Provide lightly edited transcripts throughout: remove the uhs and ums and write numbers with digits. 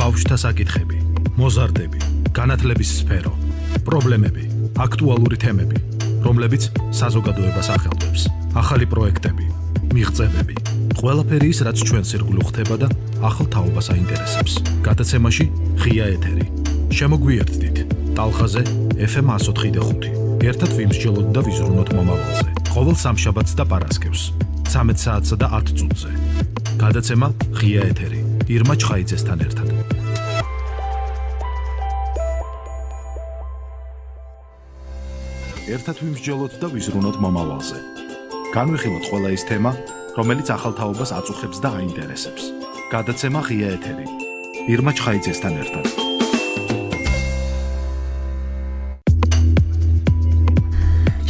ბავშვთა საკითხები, მოზარდები, განათლების სფერო, პრობლემები, აქტუალური თემები, რომლებიც საზოგადოებას ახელვებს, ახალი პროექტები, მიღწევები, ყველაფერი ის, რაც ჩვენს ირგვლივ ხდება და ახალ თაობას აინტერესებს. გადაცემაში ღია ეთერი. შემოგვიერთდით ტალღაზე FM 104.5. ერთად ვიმსჯელოთ და ვიზრუნოთ მომავალზე. ყოველ სამშაბათს და პარასკევს 13 საათსა და 10 წუთზე. გადაცემა ღია ეთერი. ირმა ჩხაიძესთან ერთად. ერთად ვიმსჯელოთ და ვიზრუნოთ მომავალზე. განვიხილოთ ყველა ის თემა, რომელიც ახალ თაობას აწუხებს და აინტერესებს. გადაცემა ღია ეთერი. ირმა ჩხაიძესთან ერთად.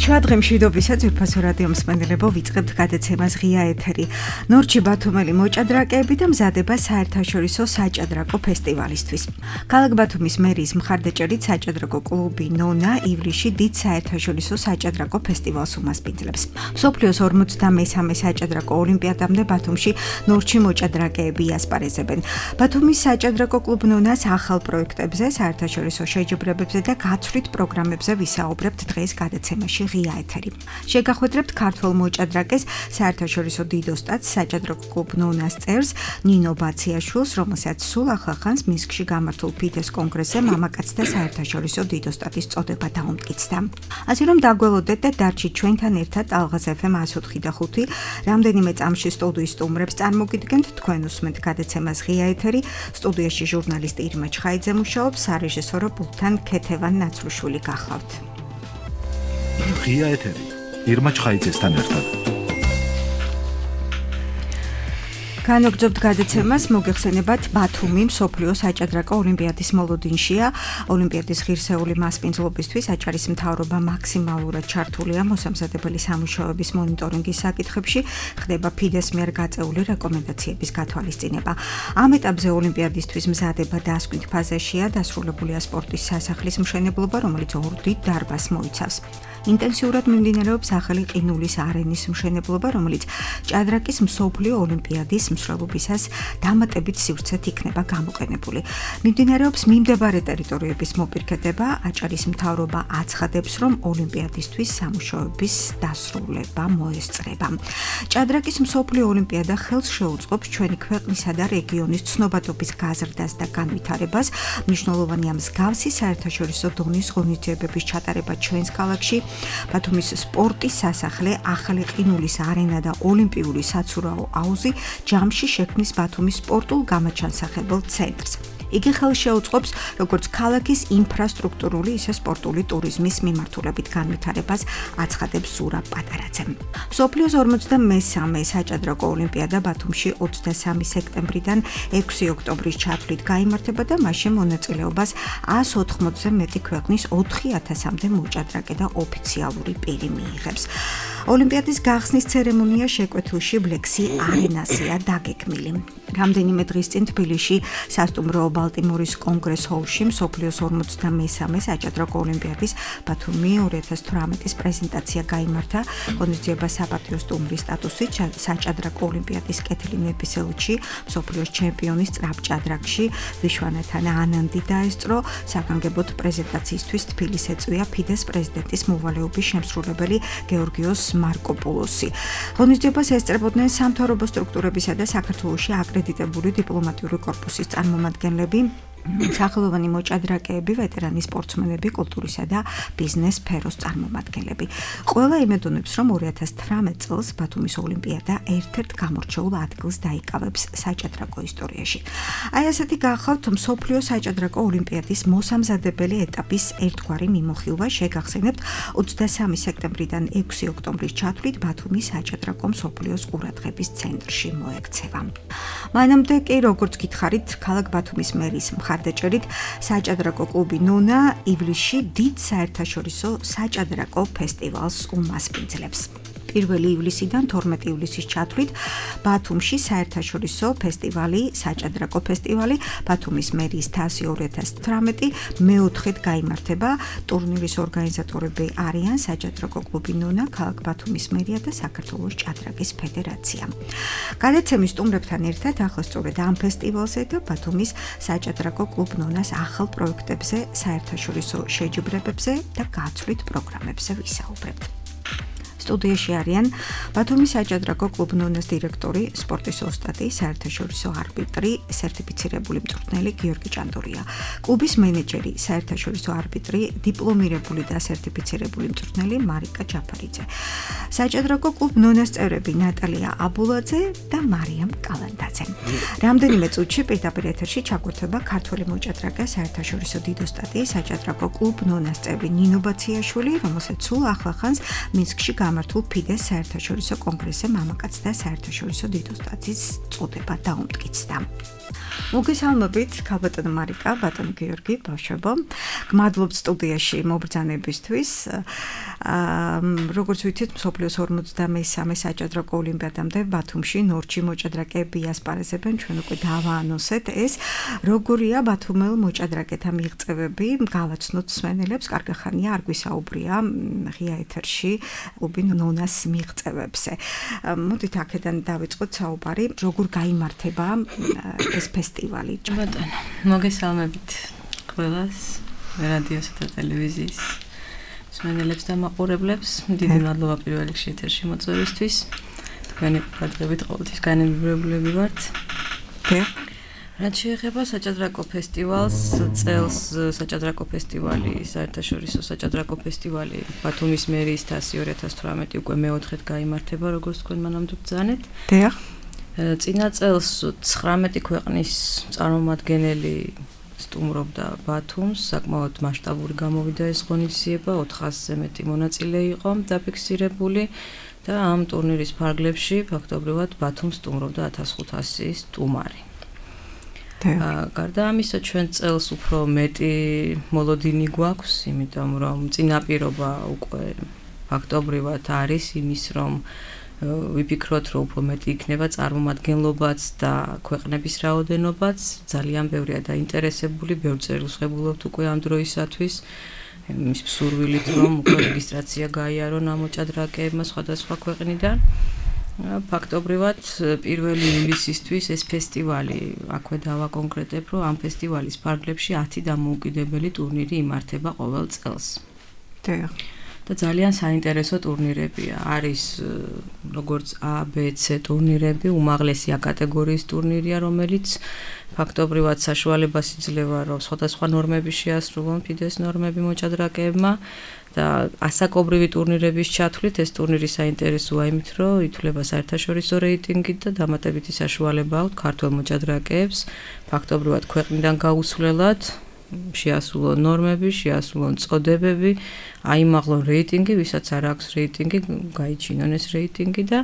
შუადღე მშვიდობისა ძვირფასო რადიო მსმენელებო, ვიწყებთ გადაცემას ღია ეთერი. ნორჩი ბათუმელი მოჭადრაკეები და მზადება საერთაშორისო საჭადრაკო ფესტივალისთვის. ქალაქ ბათუმის მერიის მხარდაჭერით საჭადრაკო კლუბი ნონა ივლისში დიდ საერთაშორისო საჭადრაკო ფესტივალს უმასპინძლებს. მსოფლიოს 43-მე საჭადრაკო ოლიმპიადამდე ბათუმში ნორჩი მოჭადრაკეები იასპარეზებენ. ბათუმის საჭადრაკო კლუბ ნონას ახალ პროექტებზე, საერთაშორისო შეჯიბრებებზე და გაცვლით პროგრამებზე ვისაუბრებთ დღეს გადაცემაში ღია ეთერი. შეგახვედრებთ ქართველ მოჭადრაკეს საერთაშორისო დიდ ოსტატს საჭადრაკო კლუბ ნონას წევრს ნინო ბაციაშვილს, რომელსაც სულ ახლახანს მინსკში გამართულ ფიდეს კონგრესზე მამაკაცთა საერთაშორისო დიდ ოსტატის წოდება დაუმტკიცდა. ასე რომ დაგველოდეთ და დარჩით ჩვენთან ერთად ტალღაზე FM 104.5. რამდენიმე წამში სტუდიის სტუმრებს წარმოგიდგენთ, თქვენ უსმენთ გადაცემას ღია ეთერი. სტუდიაში ჟურნალისტი ირმა ჩხაიძე მუშაობს, სარეჟისორო პულტთან ქეთევან ნაცრუშვილი გახლავთ. ღია ეთერი. ირმა ჩხაიძესთან ერთად. განვაგრძობთ გადაცემას, მოგეხსენებათ ბათუმი მსოფლიო საჭადრაკო ოლიმპიადის მოლოდინშია. ოლიმპიადის ღირსეული მასპინძლობისთვის აჭარის მთავრობა მაქსიმალურად ჩართულია მოსამზადებელი სამუშაოების მონიტორინგის საკითხებში, ხდება ფიდეს მიერ გაწეული რეკომენდაციების გათვალისწინება. ამ ეტაპზე ოლიმპიადისთვის მზადება დასკვნით ფაზაშია, დასრულებულია სპორტის სასახლის მშენებლობა, რომელიც ორ დიდ დარბაზს მოიცავს. ინტენსიურად მიმდინარეობს ახალი ყინულის არენის მშენებლობა, რომელიც ჭადრაკის მსოფლიო ოლიმპიადის მსვლელობისას დამატებით სივრცეთ იქნება გამოყენებული. მიმდინარეობს მიმდებარე ტერიტორიების მოპირკეთება, აჭარის მთავრობა აცხადებს, რომ ოლიმპიადისთვის სამუშაოების დასრულება მოესწრება. ჭადრაკის მსოფლიო ოლიმპიადა ხელს შეუწყობს ჩვენი ქვეყნისა და რეგიონის ცნობადობის გაზრდას და განვითარებას. მნიშვნელოვანია მსგავსი საერთაშორისო დონის ღონისძიებების ჩატარება ჩვენს ქალაქში. ბათუმის სპორტის სასახლე, ახალი ყინულის არენა და ოლიმპიური საცურაო აუზი ჯამში შექმნის ბათუმის სპორტულ-გამაჩანსახებელ ცენტრს. იგი ხელს შეუწყობს როგორც ქალაქის ინფრასტრუქტურული, ისე სპორტული ტურიზმის მიმართულებით განვითარებას, აცხადებს ზურა პატარაძე. მსოფლიოს 43-მე საჭადრაკო ოლიმპიადა ბათუმში 23 სექტემბრიდან 6 ოქტომბრის ჩათვლით გაიმართება და მასში მონაწილეობას 180-ზე მეტი ქვეყნის 4000-მდე მოჭადრაკე და ოფიციალური პირი მიიღებს. ოლიმპიადის გახსნის ცერემონია შეკვეთილში ბლექსი არენასია დაგეგმილი. რამდენიმე დღის წინ თბილისში სასტუმრო ბალტიმორის კონგრეს ჰოლში მსოფლიოს 43-მე საჭადრაკო ოლიმპიადის ბათუმი 2018-ის პრეზენტაცია გაიმართა. ღონისძიება საპატიო სტუმრის სტატუსით საჭადრაკო ოლიმპიადის კეთილი მეფის ელჩი, მსოფლიოს ჩემპიონის სწრაფჭადრაკში ვიშვანათანა ანანდი დაესწრო. საგანგებოდ პრეზენტაციისთვის თბილისს ეწვია ფიდეს პრეზიდენტის მოვალეობის შემსრულებელი გეორგიოს მარკოპულოსი. ღონისძიებას ესწრებოდნენ სამთავრობო სტრუქტურებისა და საქართველოში აკრედიტებული დიპლომატიური კორპუსის წარმომადგენლები, სახელოვანი მოჭადრაკეები, ვეტერანი სპორტსმენები, კულტურისა და ბიზნეს სფეროს წარმომადგენლები. ყველა იმედონებს, რომ 2018 წელს ბათუმის ოლიმპიადა ერთ-ერთ გამორჩეულ ადგილს დაიკავებს საჭადრაკო ისტორიაში. აი ასეთი გახავთ მსოფლიო საჭადრაკო ოლიმპიადის მოსამზადებელი ეტაპის ერთგვარი მიმოხილვა. შეგახსენებთ 23 სექტემბრიდან 6 ოქტომბრის ჩათვლით ბათუმის საჭადრაკო მსოფლიოს ყურადღების ცენტრში მოექცევა. მანამდე კი, როგორც გითხარით, ქალაქ ბათუმის მერიის მხარდაჭერით საჭადრაკო კლუბი ნონა ივლისში დიდ საერთაშორისო საჭადრაკო ფესტივალს უმასპინძლებს. 1 ივლისიდან 12 ივლისის ჩათვლით ბათუმში საერთაშორისო ფესტივალი, საჭადრაკო ფესტივალი, ბათუმის მერიის თასი 2018 მეოთხედ გაიმართება. ტურნირის ორგანიზატორები არიან საჭადრაკო კლუბი ნონა, ქალაქ ბათუმის მერია და საქართველოს ჭადრაკის ფედერაცია. გადაცემის სტუმრებთან ერთად ახლა სწორედ ამ ფესტივალზე და ბათუმის საჭადრაკო კლუბ ნონას ახალ პროექტებზე, საერთაშორისო შეჯიბრებებზე და გაცვლით პროგრამებზე ვისაუბრებთ. სტუდიაში არიან ბათუმის საჭადრაკო კლუბ ნონას დირექტორი, სპორტის ოსტატი, საერთაშორისო არბიტრი, სერტიფიცირებული მწვრთნელი გიორგი ჭანდურია, კლუბის მენეჯერი, საერთაშორისო არბიტრი, დიპლომირებული და სერტიფიცირებული მწვრთნელი მარიკა ჯაფარიძე. საჭადრაკო კლუბ ნონას წევრები ნატალია აბულაძე და მარიამ კალანდაძე. რამდენიმე წუთში პირდაპირ ეთერში ჩაგვერთვება ქართველი მოჭადრაკე, საერთაშორისო დიდ ოსტატი, საჭადრაკო კლუბ ნონას წევრი ნინო ბაციაშვილი, რომელსაც სულ ახლახანს მინსკში გამართულ ფიდეს საერთაშორისო კონგრესზე მამაკაცთა საერთაშორისო დიდ ოსტატის წოდება დაუმტკიცდა. მოგესალმებით, ქალბატონო მარიკა, ბატონო გიორგი, ბავშვებო. გმადლობთ სტუდიაში მობრძანებისთვის. როგორც ვიცით, მსოფლიოს 53-მე საჭადრაკო ოლიმპიადამდე ბათუმში ნორჩი მოჭადრაკეები ასპარეზებენ, ჩვენ უკვე დავაანონსეთ ეს. როგორია ბათუმელ მოჭადრაკეთა მიღწევები? გავაცნოთ მსმენელებს, კარგი ხანია არ გვისაუბრია ღია ეთერში კლუბი ნონას მიღწევებზე. მოდით აქედან დავიწყოთ საუბარი, როგორ გაიმართება ეს ფესტივალი. ბატონო, მოგესალმებით ყველას, რადიოსა და ტელევიზიის მსმენელებს და მაყურებლებს. დიდი მადლობა პირველ რიგში ეთერში მოწვევისთვის. თქვენი ყურადღებით ყოველთვის განმეორებლები ვართ. რაც შეეხება საჭადრაკო ფესტივალს, წელს საჭადრაკო ფესტივალი, საერთაშორისო საჭადრაკო ფესტივალი ბათუმის მერიის თასი 2018 უკვე მეოთხედ გაიმართება, როგორც თქვენ მანამდე ბრძანეთ. წინა წელს 19 ქვეყნის წარმომადგენელი სტუმრობდა ბათუმს, საკმაოდ მასშტაბური გამოვიდა ეს ღონისძიება, 400-ზე მეტი მონაწილე იყო დაფიქსირებული და ამ ტურნირის ფარგლებში ფაქტობრივად ბათუმს სტუმრობდა 1500 სტუმარი. გარდა ამისა, ჩვენ წელს უფრო მეტი მოლოდინი გვაქვს, იმიტომ რომ წინაპირობა უკვე ფაქტობრივად არის იმის, რომ ვიფიქროთ, რომ უფრო მეტი იქნება წარმომადგენლობაც და ქვეყნების რაოდენობაც, ძალიან ბევრია დაინტერესებული, ბევრ წერილს ვღებულობთ უკვე ამ დროისათვის, იმის მსურვილით, რომ უკვე რეგისტრაცია გაიარონ ამ მოჭადრაკეებმა სხვადასხვა ქვეყნიდან. ფაქტობრივად 1 ივლისისთვის ეს ფესტივალი, აქვე დავაკონკრეტებ, რომ ამ ფესტივალის ფარგლებში 10 დამოუკიდებელი ტურნირი იმართება ყოველ წელს. და ძალიან საინტერესო ტურნირებია. არის როგორც A, B, C ტურნირები, უმაღლესი A კატეგორიის ტურნირია, რომელიც ფაქტობრივად საშუალებას იძლევა, რომ სხვადასხვა ნორმები შეასრულონ ფიდეს ნორმები მოჭადრაკეებმა და ასაკობრივი ტურნირების ჩათვლით ეს ტურნირი საინტერესოა იმით, რომ ითვლება საერთაშორისო რეიტინგით და დამატებითი საშუალება აქვს ქართველ მოჭადრაკეებს ფაქტობრივად ქვეყნიდან გაუსვლელად შეასრულონ ნორმები, შეასრულონ წოდებები, აიმაღლონ რეიტინგი, ვისაც არ აქვს რეიტინგი, გაიჩინონ ეს რეიტინგი და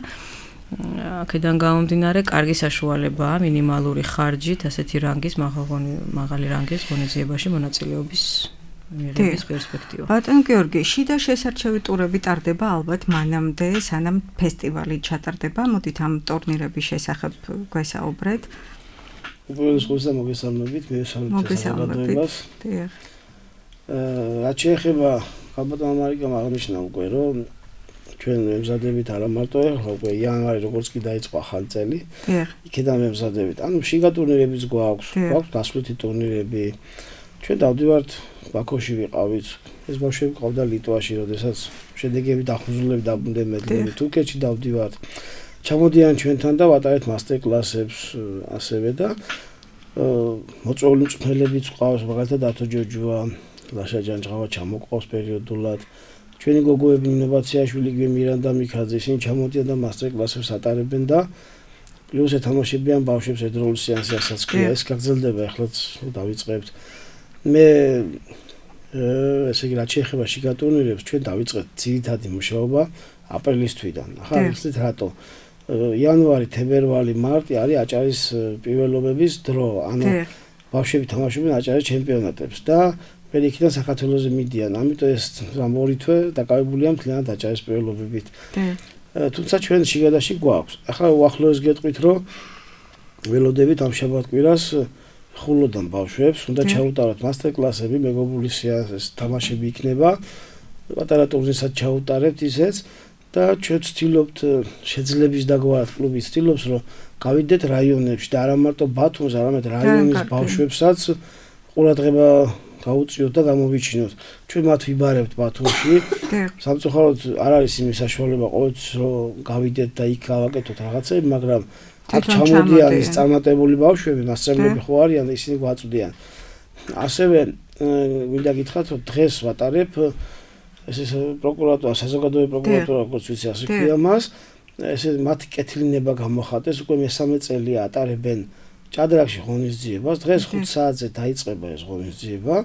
აქედან გამომდინარე კარგი საშუალებაა მინიმალური ხარჯით ასეთი რანგის მაღალი რანგის ღონისძიებაში მონაწილეობის მიღების პერსპექტივა. ბატონ გიორგი, შიდა შესარჩევი ტურები ტარდება ალბათ მანამდე, სანამ ფესტივალი ჩატარდება. მოდით ამ ტურნირების შესახებ გვესაუბრეთ. უბრალოდ ხოსა მოგესალმებით, მე მოგესალმებით. რაც შეეხება ქალბატონ მარიკამ აღნიშნა უკვე, რომ ჩვენ მემზადებით არა მარტო ახლა უკვე იანვარი როგორც კი დაიწყო ახალი წელი. იქიდან მემზადებით. ანუ შიგა ტურნირებიც გვაქვს გასვლითი ტურნირები. ჩვენ დავდივართ ბაქოში ვიყავით. ეს ბავშვები ყავდა ლიტვაში, როდესაც შედეგები დახუზულები დაბრუნდები თურქეთში დავდივართ. ჩამოდიან ჩვენთან და ვატარებთ მასტერ კლასებს ასევე და მოწვეული მწვრთნელებიც ყავს, მაგალითად ათო ჯოჯოა, ლაშა ჯანჯღავა ჩამოყავს პერიოდულად. ჩვენი გოგოები ინოვაციაშვილი, მირანდა მიქაძე, ისინი ჩამოდიან და მასტერ კლასებს ატარებენ და პლუს ეთამაშებიან ბავშვებს ერთდროულ სეანსი, ასაც ქვია, ეს გაგრძელდება, ახლაც დავიწყებთ. მე ესე იგი რაც შეეხება შიგა ტურნირებს, ჩვენ დავიწყეთ ძირითადი მუშაობა აპრილის თვიდან. ახლა იცით რატო? იანვარი, თებერვალი, მარტი არის აჭარის პირველობების დრო. ანუ ბავშვები თამაშობენ აჭარის ჩემპიონატებს და პერიქიდან საქართველოზე მიდიან. ამიტომ ეს რამ ორი თვე დაკავებულია მთლიანად აჭარის პირველობებით. თუმცა ჩვენ შიგადაში გვაქვს. ახლა უახლოეს გეტყვით, რომ ველოდებით ამ შაბათ-კვირას ხულოდან ბავშვებს უნდა ჩაუტაროთ მასტერ-კლასები, მეგობრული თამაშები იქნება. პატარა ტურნირსაც ჩაუტარებთ ისეც და ჩვენ ვცდილობთ შეძლების დაგვარად კლუბი ვცდილობს, რომ გავიდეთ რაიონებში და არა მარტო ბათუმს, არამედ რაიონის ბავშვებსაც ყურადღება გაუწიოთ და გამოვიჩინოთ. ჩვენ მათ ვიბარებთ ბათუმში. სამწუხაროდ არ არის იმის საშუალება ყოველთვის რომ გავიდეთ და იქ გავაკეთოთ რაღაცები, მაგრამ აქ ჩამოდიან ის წარმატებული ბავშვები, მასწავლებლები ხო არიან და ისინი გვაწვდიან. ასევე მინდა გითხრათ, რომ დღეს ვატარებ ეს პროკურატურა, საზოგადოებრივი პროკურატურა, როგორც ვიცი, ასე ქვია მას. ესე მათი კეთილინება გამოხატეს, უკვე მესამე წელია ატარებენ ჭადრაკში ღონისძიებას. დღეს 5 საათზე დაიწყება ეს ღონისძიება.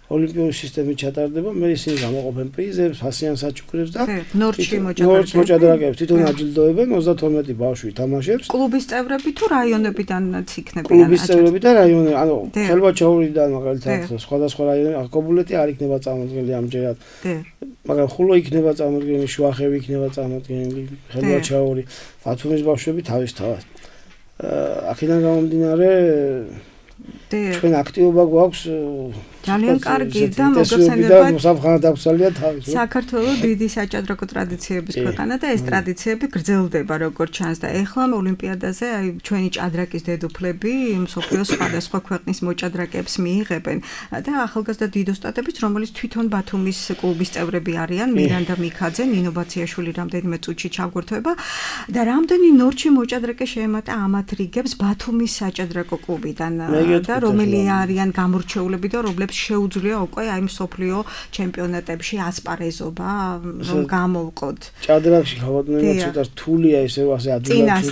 ოლიმპიური სისტემით ჩატარდება, მე ისინი გამოყოფენ პრიზებს, ფასიან საჩუქრებს და ნორჩი მოჭადრაკეებს თვითონ აჯილდოებენ 32 ბავშვი თამაშებს. კლუბის წევრები თუ რაიონებიდანაც იქნებიან? კლუბის წევრები და რაიონი, ანუ ხელვაჩაურიდან მაგალითად სხვადასხვა რაიონი, აკობულეთი არ იქნება წარმოდგენილი ამჯერად. მაგრამ ხულო იქნება წარმოდგენილი, შუახევი იქნება წარმოდგენილი, ხელვაჩაური, ბათუმის ბავშვები თავისთავად. აქედან გამომდინარე ჩვენ აქტივობა გვაქვს ძალიან კარგი და მოგხსენებათ საფრთხე დაგცალია თავის. საქართველოს დიდი საჭადრაკო ტრადიციების ქვეყანა და ეს ტრადიციები გრძელდება როგორც ჩანს და ეხლა ოლიმპიადაზე აი ჩვენი ჭადრაკის დედოფლები მსოფლიოს სხვადასხვა ქვეყნის მოჭადრაკეებს მიიღებენ და ახალგაზრდა დიდოსტატებიც რომელიც თვითონ ბათუმის კლუბის წევრები არიან მირანდა მიქაძე, ნინო ბაციაშვილი რამდენიმე წუთში ჩაგვერთვება და რამდენი ნორჩი მოჭადრაკე შეემატა ამათ რიგებს ბათუმის საჭადრაკო კლუბიდან და რომელი არიან გამორჩეულები და რომლებს შეუძლია უკვე აი მსოფლიო ჩემპიონატებში ასპარეზობა რომ გამოვყოთ. ჭადრაკში ხავადნენა ცოტა რთულია ესე ასე ადვილად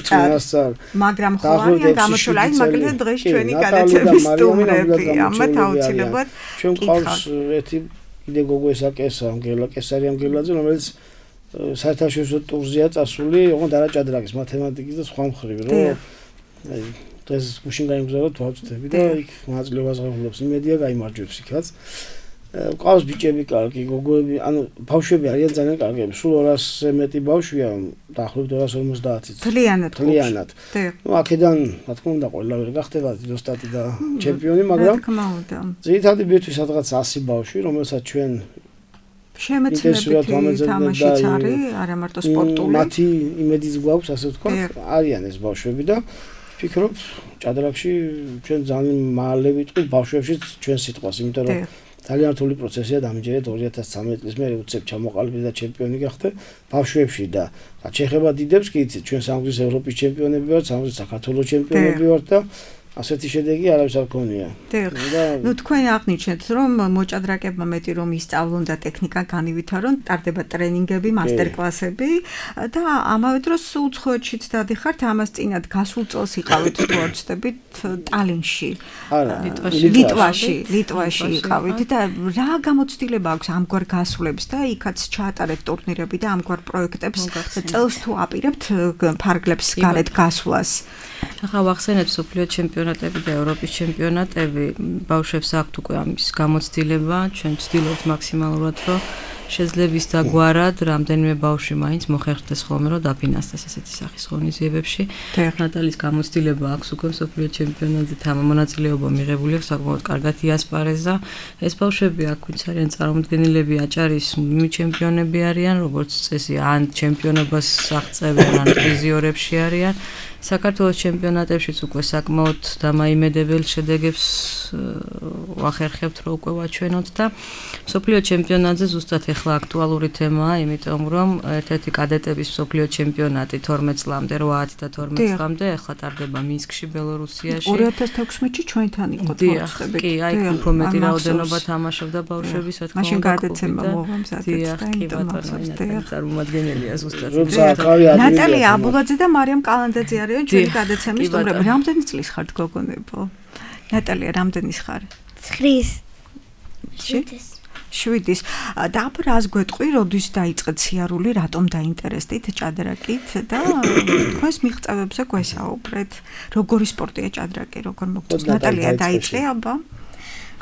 მაგრამ ხო არიან გამორჩეული აი მაგალითად დღეს ჩვენი გადაცემის სტუმრები ამათ აუცილებლად ჩვენ ყავს ერთი კიდე გოგო ესაკესა ამგელა კესარი ამგელაძე რომელიც საერთაშორისო ტურზეა წასული ოღონდ არა ჭადრაკის მათემატიკის და სხვა მხრივ რომ აი დღეს გუშინ გაიმგზავროთ ვაუწდები და იქ მონაწილეობას ღებულობს იმედია გაიმარჯვებს იქაც. ყავს ბიჭები კარგი, გოგოები, ანუ ბავშვები არიან ძალიან კარგები. სულ 200-ზე მეტი ბავშვია, დაახლოებით 250-ი. თლიანად. ნუ აქედან, რა თქმა უნდა, ყველა ვერ გახდება დიდოსტატი და ჩემპიონი, მაგრამ ძირითადი ბირთვის სადღაც 100 ბავშვი, რომელსაც ჩვენ შემეცნებითი თამაშიც არის, არა მარტო სპორტული. მათი იმედიც გვაქვს, ასე ვთქვათ, არიან ეს ბავშვები და ვფიქრობ, ჭადრაკში ჩვენ ძალიან მალე ვიტყვით ბავშვებშიც ჩვენ სიტყვას, იმიტომ რომ ძალიან რთული პროცესია დამჯერეთ 2013 წლის მე უცებ ჩამოყალიბდა და ჩემპიონი გახდა ბავშვებში და რაც შეეხება დიდებს კი იცით ჩვენ სამგზის ევროპის ჩემპიონები ვართ, სამგზის საქართველოს ჩემპიონები ვართ და ასეთი შედეგი არავის არ ქონია. ნუ თქვენ აღნიშნეთ რომ მოჭადრაკებმა მეტი რომ ისწავლონ და ტექნიკა განივითარონ, ტარდება ტრენინგები, მასტერ-კლასები და ამავე დროს უცხოეთშიც დადიხართ, ამას წინათ გასულ წელს იყავით თუ არ ვცდებით ტალინში. ლიტვაში იყავით და რა გამოცდილება აქვს ამგვარ გასვლებს და იქაც ჩაატარეთ ტურნირები და ამგვარ პროექტებს წელს თუ აპირებთ ფარგლებს გარეთ გასვლას. ახლა ვახსენებ სოფლიო ჩემპიონატები და ევროპის ჩემპიონატები, ბავშვებს აქვთ უკვე ამის გამოცდილება, ჩვენ ვცდილობთ მაქსიმალურად, რომ შეძლების დაგვარად რამდენიმე ბავშვი მაინც მოხერხდეს ხოლმე, რომ დაფინანსდეს ესეთი სახის ღონისძიებებში. ნატალის გამოცდილება აქვს უკვე სოფლიო ჩემპიონატზე მონაწილეობა მიღებული აქვს, საკმაოდ კარგად იასპარეზა. ეს ბავშვები აქ ვინც არიან წარმოდგენილები, აჭარის ჩემპიონები არიან, როგორც წესი, ან ჩემპიონობას აღწევენ, ან პრიზიორებში არიან. საქართველოს ჩემპიონატებშიც უკვე საკმაოდ დამაიმედებელ შედეგებს ვახერხებთ, რომ უკვე ვაჩვენოთ და მსოფლიო ჩემპიონატზე ზუსტად ახლა აქტუალური თემაა, იმიტომ რომ ერთ-ერთი კადეტების მსოფლიო ჩემპიონატი 12 წლამდე, 8 და 12 წლამდე ახლა ტარდება მინსკში, ბელორუსიაში. 2016-ში ჩვენთან იყო თორცხები. კი, აი უფრო მეტი რაოდენობა თამაშობდა ბავშვების, რა თქმა უნდა. მაშინ გადაცემა მოვამზადეთ და იმიტომ წარმომადგენელია ზუსტად. ნატალია აბულაძე და მარიამ კალანდაძე არის ჩვენი გადაცემის სტუმრები. რამდენი წლის ხართ გოგონებო? ნატალია, რამდენის ხარ? 7-ის. და აბა რას გვეტყვი, როდის დაიწყეთ სიარული, რატომ დაინტერესდით ჭადრაკით და თქვენს მიღწევებზე გვესაუბრეთ. როგორი სპორტია ჭადრაკი, როგორ მოგწონს? ნატალია დაიწყე აბა.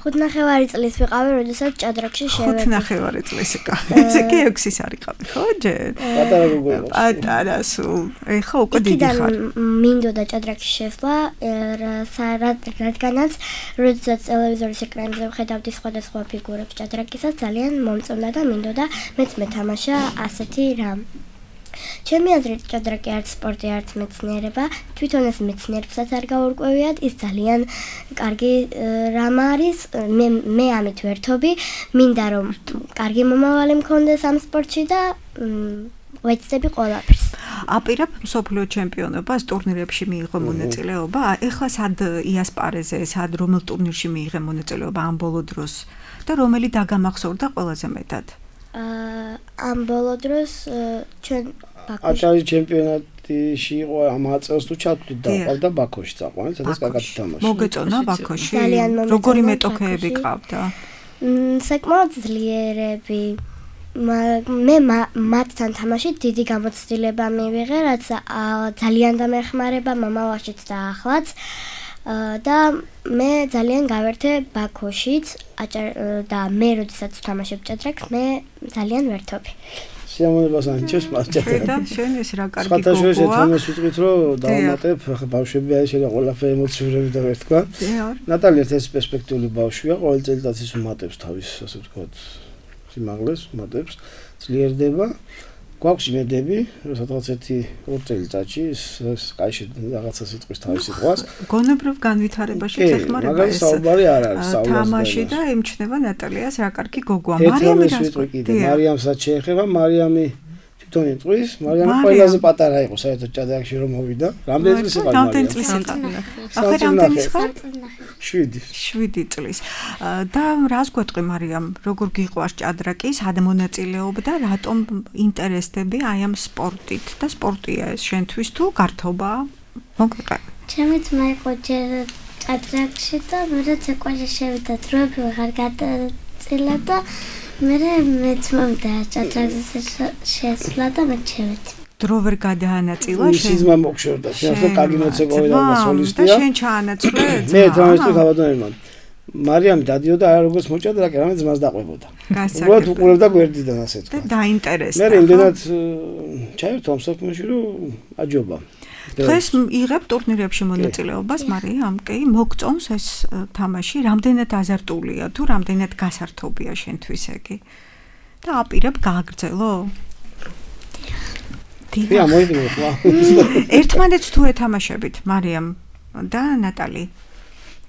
5.5 წლის ვიყავი, როდესაც ჭადრაკში შევედი. 5.5 წლის იყავი. ესე კი 6-ის არ იყავი, ხო, ჯერ? პატარა გოგონა. პატარა სულ. ეხლა უკვე დიდი ხარ. მინდოდა ჭადრაკში შესვლა, რადგანაც როდესაც ტელევიზორის ეკრანებზე ვხედავდი სხვადასხვა ფიგურებს ჭადრაკისას, ძალიან მომწონდა და მინდოდა მეც მეთამაშა ასეთი რამ. ჩემი აზრით ჭადრაკი არც სპორტი, არც მეცნიერება, თვითონ ეს მეცნიერებსაც არ გაურკვევიათ, ის ძალიან კარგი რამ არის, მე ამით ვერთობი, მინდა რომ კარგი მომავალი მქონდეს ამ სპორტში და ვეცდები ყველაფერს. აპირებ მსოფლიო ჩემპიონობას ტურნირებში მიიღო მონაწილეობა, ეხლა სად იასპარეზე, სად რომელ ტურნირში მიიღე მონაწილეობა ამ ბოლო დროს და რომელი დაგამახსოვრდა ყველაზე მეტად? ამ ბოლო დროს ჩვენ ბაქოში აჭარის ჩემპიონატში იყო ამ აწელს თუ ჩავთვლით და ყავდა ბაქოში წაყვანეთ, სადაც კარგად თამაშობ. მოგეწონა ბაქოში? ძალიან მომეწონა. როგორი მეტოქეები ყავდა? საკმაოდ ძლიერები. მე მათთან თამაშით დიდი გამოცდილება მივიღე, რაც ძალიან დამეხმარება მომავალშიც და ახლაც. და მე ძალიან გავერთე ბაქოშიც და მე როდესაც ვთამაშებ ჭადრაკს, მე ძალიან ვერთობი. სიამოვნებას ანიჭებს მას ჭადრაკი. და შენ ეს რა კარგი გოგოა. სხვათა შორის ერთმანეთს ვიტყვით, რომ დავამატებ, ახლა ბავშვები არის შეიძლება ყველაფერი ემოციურები და ვერთქვა. ნატალია ეს პერსპექტიული ბავშვია, ყოველ წელიწადს უმატებს თავის, ასე ვთქვათ, სიმაღლეს, უმატებს, ძლიერდება. გვაქვს იმედები, რომ სადღაც 1-2 წელიწადში ეს კაიში რაღაცა სიტყვის თავის სიტყვას. გონებრივ განვითარებაში ეხმარება მაგალითად საუბარი არ არის საუბარი. თამაში და ემჩნევა ნატალიას რა კარგი გოგოა. მარიამი სიტყვი კიდე, მარიამსაც შეეხება, მარიამი თვითონ იტყვის, მარიამი ყველაზე პატარა იყო საერთოდ ჭადრაკში რომ მოვიდა. რამდენი წლის იყო მარიამი? რამდენი წლის იყო? ახლა რამდენი ხარ? 7 წლის. და რას გვეტყვი მარიამ, როგორ გიყვარს ჭადრაკი, სად მონაწილეობდა, რატომ ინტერესდები აი ამ სპორტით და სპორტია ეს შენთვის თუ გართობაა? მოგვიყვა. ჩემიც მაიყო ჯერ ჭადრაკში და მე ცეკვაში შევიდა დროები ვეღარ გადაწილა და მეც მომდა ჭადრაკზე შესვლა და მე შევედი. დრო ვერ გადაანაწილა შენ? სიზმა მოგშორდა, შენ ახლა კარგი მოცეკვავი და სოლისტია. და შენ ჩაანაცვლე? მე თამაშობ გაბატონებამ. მარიამი დადიოდა არა როგორც მოჭადრაკე, რამე ძმას დაყვებოდა. უბრალოდ უყურებდა გვერდიდან ასე თქვა. და დაინტერესდა. მე იმდენად ჩაერთო ამ საქმეში, რომ აჯობა. დღეს იღებ ტურნირებში მონაწილეობას, მარიამ, კი, მოგწონს ეს თამაში, რამდენად აზარტულია თუ რამდენად გასართობია შენთვის ეგ? და აპირებ გააგრძელო? დია მოიგნო ხო? ერთმანეთს თუ ეთამაშებით, მარიამ და ნატალი.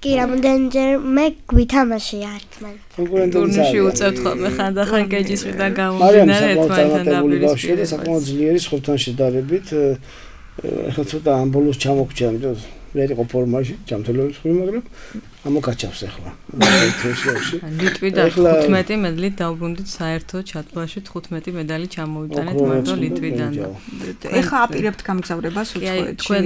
კი, რამდენჯერ მე გვითამაშია ერთმანეთს. ტურნირში უწევთ ხოლმე ხანდახან კეჯისვიდან გამომდინარე ერთმანეთთან დაპირისპირება. და საკმაოდ ძლიერი სხურთან შედარებით ახლა ცოტა ამ ბოლოს ჩამოგჭა, იმიტომ ვერ იყო ფორმაში, ჯამთველობის ხრი, მაგრამ ამოკაჩავს ახლა. ლიტვიდან 15 მედლით დაუბრუნდით საერთო ჩათვლაში 15 მედალი ჩამოვიტანეთ მარტო ლიტვიდან. ეხლა აპირებთ გამგზავრებას უცხოეთში. თქვენ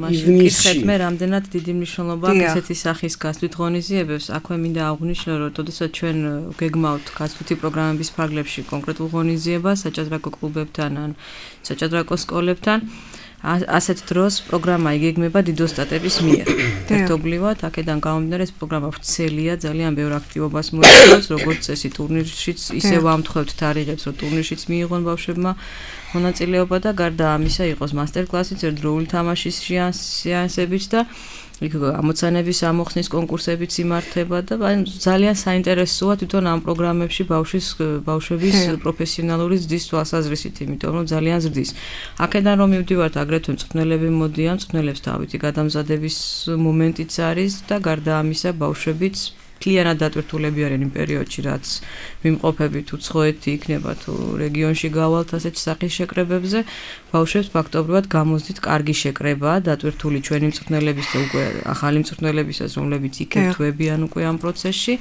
მაშინ გითხეთ მე რამდენად დიდი მნიშვნელობა აქვს ესეთი სახის გასვლით ღონისძიებებს. აქვე მინდა აღვნიშნო, რომ თოდესაც ჩვენ გეგმავთ გასვლითი პროგრამების ფარგლებში კონკრეტულ ღონისძიებას საჭადრაკო კლუბებთან ან საჭადრაკო სკოლებთან, ასეთ დროს პროგრამა იგეგმება დიდოსტატების მიერ. ერთობლივად აქედან გამომდინარე ეს პროგრამა ვრცელია, ძალიან ბევრ აქტივობას მოიცავს, როგორც წესი ტურნირშიც, ისე ვამთხოვთ თარიღებს, რომ ტურნირშიც მიიღონ ბავშვებმა მონაწილეობა და გარდა ამისა იყოს მასტერკლასიც, ერთდროული თამაშის სეანსებიც და იქ ამოცანების ამოხსნის კონკურსებიც იმართება და ძალიან საინტერესოა თვითონ ამ პროგრამებში ბავშვების პროფესიონალური ზრდის თვალსაზრისით, იმიტომ რომ ძალიან ზრდის. აქედან რომ მივდივართ, აგრეთვე მწვრთნელები მოდიან, მწვრთნელებს დავითი გადამზადების მომენტიც არის და გარდა ამისა ბავშვებიც მთლიანად დატვირთულები არიან იმ პერიოდში, რაც მიმყოფებით უცხოეთი იქნება თუ რეგიონში გავალთ ასეთ სახის შეკრებებზე, ბავშვებს ფაქტობრივად გამოздით კარგი შეკრება, დატვირთული ჩვენი მწვრთნელების და უკვე ახალი მწვრთნელებისაც, რომლებიც იქ ერთვებიან უკვე ამ პროცესში.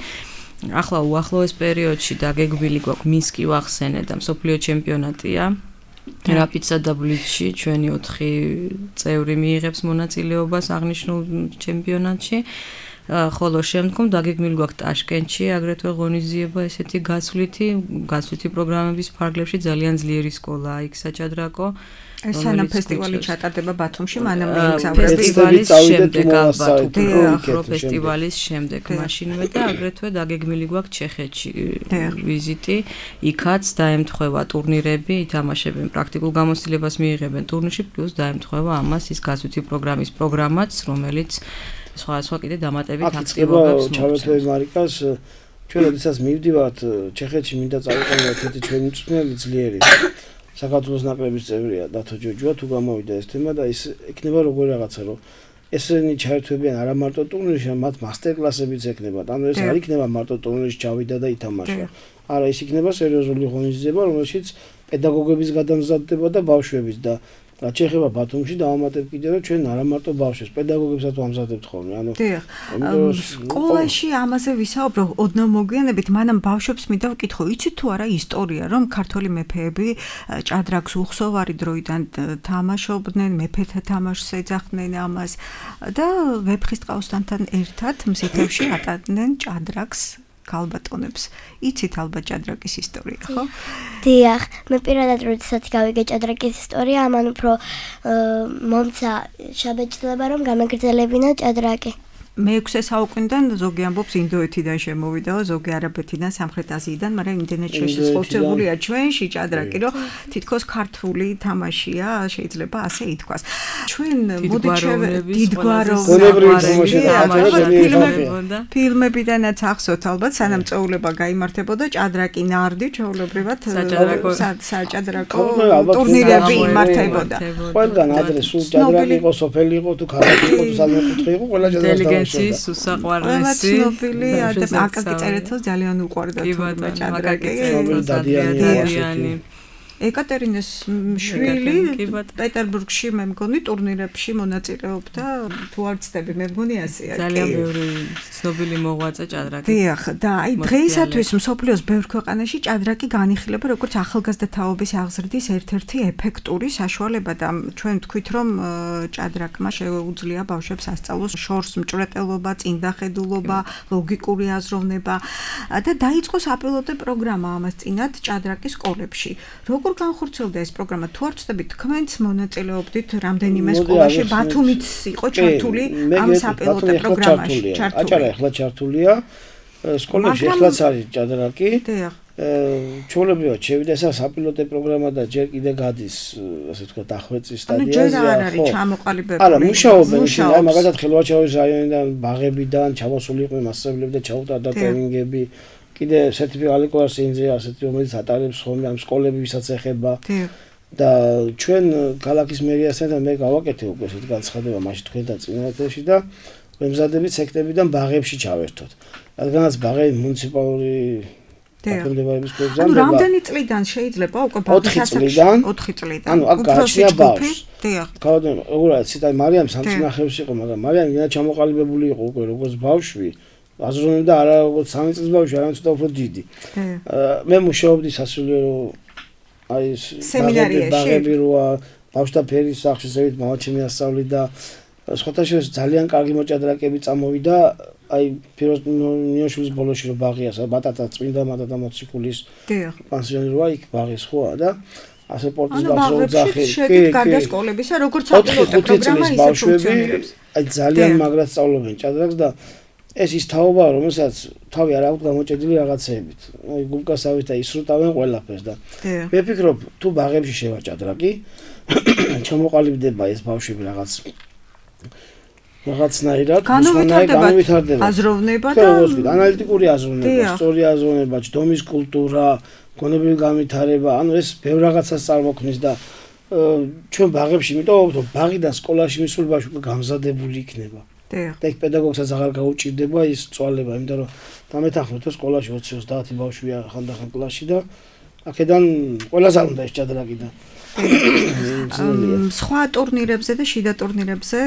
ახლა უახლოეს პერიოდში დაგეგმილი გვაქვს მინსკი ვახსენე და მსოფლიო ჩემპიონატია. რაპიდსა და ბლიცში ჩვენი 4 წევრი მიიღებს მონაწილეობას აღნიშნულ ჩემპიონატში. ხოლო შემდგომ დაგეგმილი გვაქვს ტაშკენტში აგრეთვე ღონისძიება ესეთი გაცვლითი პროგრამების ფარგლებში ძალიან ძლიერი სკოლაა იქ საჭადრაკო სანამ ფესტივალი ჩატარდება ბათუმში, მანამ ფესტივალის შემდეგ ალბათ უფრო ფესტივალის შემდეგ მაშინვე და აგრეთვე დაგეგმილი გვაქვს ჩეხეთში ვიზიტი, იქაც დაემთხვევა ტურნირები, ითამაშებენ პრაქტიკულ გამოცდილებას მიიღებენ ტურნირში, პლუს დაემთხვევა amას ის გაცვლითი პროგრამის პროგრამაც, რომელიც სხვა კიდე დამატებით აქტივობებს მოგვცემს. ჩავეთვე მარიკას, ჩვენ როდესაც მივდივართ ჩეხეთში, მინდა წავიყენოთ ერთი ჩვენი მწვრთნელი ძლიერი. საქართველოს ნაკრების წევრია დათო ჯოჯოა, თუ გამოვიდა ეს თემა და ის ექნება როგორ რაღაცა, რომ ესენი ჩაერთვებიან არა მარტო ტურნირში, მათ მასტერკლასებიც ექნებათ. ანუ ეს არ იქნება მარტო ტურნირში ჩავიდა და ითამაშა. არა, ის იქნება სერიოზული ღონისძიება, რომელშიც პედაგოგების გადამზადდება და ბავშვების და რაც შეეხება ბათუმში დავამატებ კიდე რომ ჩვენ არა მარტო ბავშვებს, პედაგოგებსაც ვამზადებთ ხოლმე. ანუ სკოლაში ამაზე ვისაუბრებ ოდნავ მოგვიანებით, მანამ ბავშვებს მინდა ვკითხო, იცით თუ არა ისტორია, რომ ქართველი მეფეები ჭადრაკს უხსოვარი დროიდან თამაშობდნენ, მეფეთა თამაშს ეძახდნენ ამას და ვეფხისტყაოსანთან ერთად მზითებში ატარდნენ ჭადრაკს. ქალბატონებს. იცით ალბათ ჭადრაკის ისტორია, ხო? დიახ, მე პირადად როდესაც გავიგე ჭადრაკის ისტორია, ამან უფრო მომცა შაბეჭდილება, რომ გამეგრძელებინა ჭადრაკი. მე-6 საუკუნიდან ზოგი ამბობს ინდოეთიდან შემოვიდაო, ზოგი არაბეთიდან, სამხრეთ აზიიდან, მაგრამ იმდენად შეშოთებულია ჩვენში ჭადრაკი, რომ თითქოს ქართული თამაშია, შეიძლება ასე ითქვას. ჩვენ ფილმებიდანაც ახსოვთ ალბათ, სანამ წვეულება გაიმართებოდა, ჭადრაკი ნარდი ჩვეულებრივად საჭადრაკო ტურნირები იმართებოდა. ყველგან ადრე სულ ჭადრაკი იყო, სოფელი იყო, თუ ქალაქი იყო, თუ სამეფო იყო, ყველა ჭადრაკი უსაყვარლესი ცნობილი აკაკი წერეთელს ძალიან უყვარდა თურმე ჭადრაკი დადიანი ეკატერინეს შვილი პეტერბურგში მე მგონი ტურნირებში მონაწილეობდა თუ არ ვცდები მე მგონი ასეა ძალიან ბევრი ცნობილი მოღვაწე ჭადრაკი დიახ და აი დღეისათვის მსოფლიოს ბევრ ქვეყანაში ჭადრაკი განიხილება როგორც ახალგაზრდა თაობის აღზრდის ერთ-ერთი ეფექტური საშუალება და ჩვენ ვთქვით რომ ჭადრაკმა შეუძლია ბავშვებს ასწავლოს შორს მჭვრეტელობა, წინდახედულობა, ლოგიკური აზროვნება და დაიწყო საპილოტო პროგრამა ამას წინათ ჭადრაკის სკოლებში. როგორ განხორციელდა ეს პროგრამა? თუ არ ვცდებით, თქვენც მონაწილეობდით რამდენიმე სკოლაში, ბათუმიც იყო ჩართული ამ საპილოტო პროგრამაში. აჭარა ახლა ჩართულია. სკოლებში ახლაც არის ჭადრაკი. ჩვეულებრივად შევიდა ეს საპილოტო პროგრამა და ჯერ კიდე გადის, ასე ვთქვათ, დახვეწის სტადიაზე. ანუ ჯერ არ არის ჩამოყალიბებული. არა, მუშაობენ, აი მაგალითად ხელვაჩავის რაიონიდან, ბაღებიდან ჩამოსული იყვნენ მასწავლებლები და ჩაუტარდა ტრენინგები. კიდე სერტიფიკატი ყურსინზე ასეთი რომელიც ატარებს ხოლმე ამ სკოლები ვისაც ეხება და ჩვენ ქალაქის მერიასთან მე გავაკეთე უკვე ესეთ განცხადება მაშინ თქვენთან წინაეთში და ვემზადებით სექტებიდან ბაღებში ჩავერთოთ. რადგანაც ბაღები მუნიციპალური დაქვემდებარების ქვეშ ანუ რამდენი წლიდან შეიძლება უკვე ბაღის ასაკში 4 წლიდან ანუ აქ გააჩნია ბავშვს დიახ გავდენ უბრალოდ ციტა მარიამ სამწნახებში იყო მაგრამ მარიამ ინა ჩამოყალიბებული იყო უკვე როგორც ბავშვი აზროვნებდა არა როგორც 3 წლის ბავშვი, არამედ ცოტა უფრო დიდი. მე მუშაობდი სასულიერო აი სემინარიაში როა ბავშვთა ფერის სახლში ზევით მამაჩემი ასწავლიდა სხვათაშორის ძალიან კარგი მოჭადრაკეები წამოვიდა აი პიროს ნიოშვილის ბოლოში რო ბაღიას ბატატა წმინდა მატატა მოციქულის პანსიონი როა იქ ბაღის ხოა და ასე პორტის ბავშვი ძახი კი გარდა სკოლებისა როგორც საპილოტო პროგრამა ისე ფუნქციონირებს. აი ძალიან მაგრად სწავლობენ ჭადრაკს და ეს ის თაობაა, რომელსაც თავი არ აქვს გამოჭედილი რაღაცეებით. აი გულკასავით და ისრუტავენ ყველაფერს და მე ვფიქრობ, თუ ბაღებში შევა ჭადრაკი, ჩამოყალიბდება ეს ბავშვები რაღაცნაირად, განვითარდება აზროვნება და ანალიტიკური აზროვნება, სწორი აზროვნება, ჯდომის კულტურა, გონებრივი განვითარება, ანუ ეს ბევრ რაღაცას წარმოქმნის და ჩვენ ბაღებში, იმიტომ რომ ბაღიდან სკოლაში მისული ბავშვი გამზადებული იქნება. და იქ პედაგოგსაც აღარ გაუჭირდება ის წვალება, იმიტომ რომ დამეთანხმეთ რომ სკოლაში 20-30 ბავშვია ხანდახან კლასში და აქედან ყველას არ უნდა ეს ჭადრაკი და სხვა ტურნირებზე და შიდა ტურნირებზე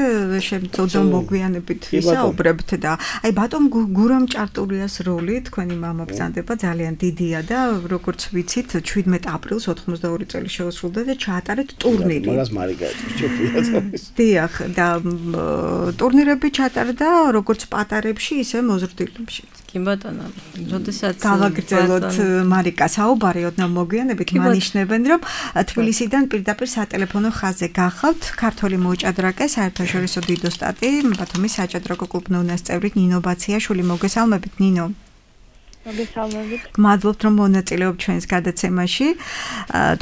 შემწოდო მოგვიანებით ვისაუბრებთ და აი ბატონ გურამ ჭარტურიას როლი თქვენი მამა ბრძანდება ძალიან დიდია და როგორც ვიცით 17 აპრილს 82 წელი შეუსრულდა და ჩაატარეთ ტურნირი. მაგას მარიკა ეწვის. დიახ და ტურნირები ჩაატარდა როგორც პატარებში ისე მოზრდილებში. კი ბატონო, როდესაც გავაგრძელოთ მარიკა საუბარი ოდნავ მოგვიანებით მანიშნებენ რომ თბილისიდან პირდაპირ სატელეფონო ხაზზე გახავთ ქართველი მოჭადრაკე საერთაშორისო დიდოსტატი ბათუმის საჭადრაკო კლუბ ნონას წევრი ნინო ბაციაშვილი მოგესალმებით ნინო მოგესალმებით. მადლობთ რომ მონაწილეობთ ჩვენს გადაცემაში.